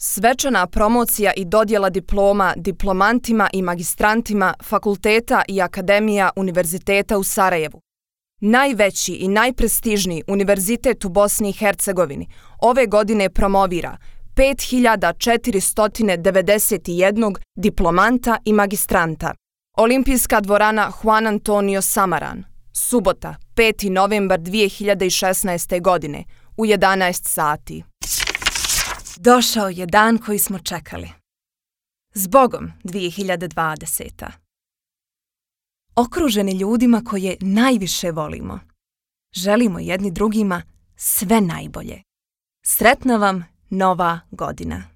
Svečana promocija i dodjela diploma diplomantima i magistrantima fakulteta i akademija Univerziteta u Sarajevu. Najveći i najprestižniji univerzitet u Bosni i Hercegovini ove godine promovira 5491 diplomanta i magistranta. Olimpijska dvorana Juan Antonio Samaran. Subota, 5. novembar 2016. godine, u 11 sati. Došao je dan koji smo čekali. Zbogom 2020. Okruženi ljudima koje najviše volimo. Želimo jedni drugima sve najbolje. Sretna vam Nova godina!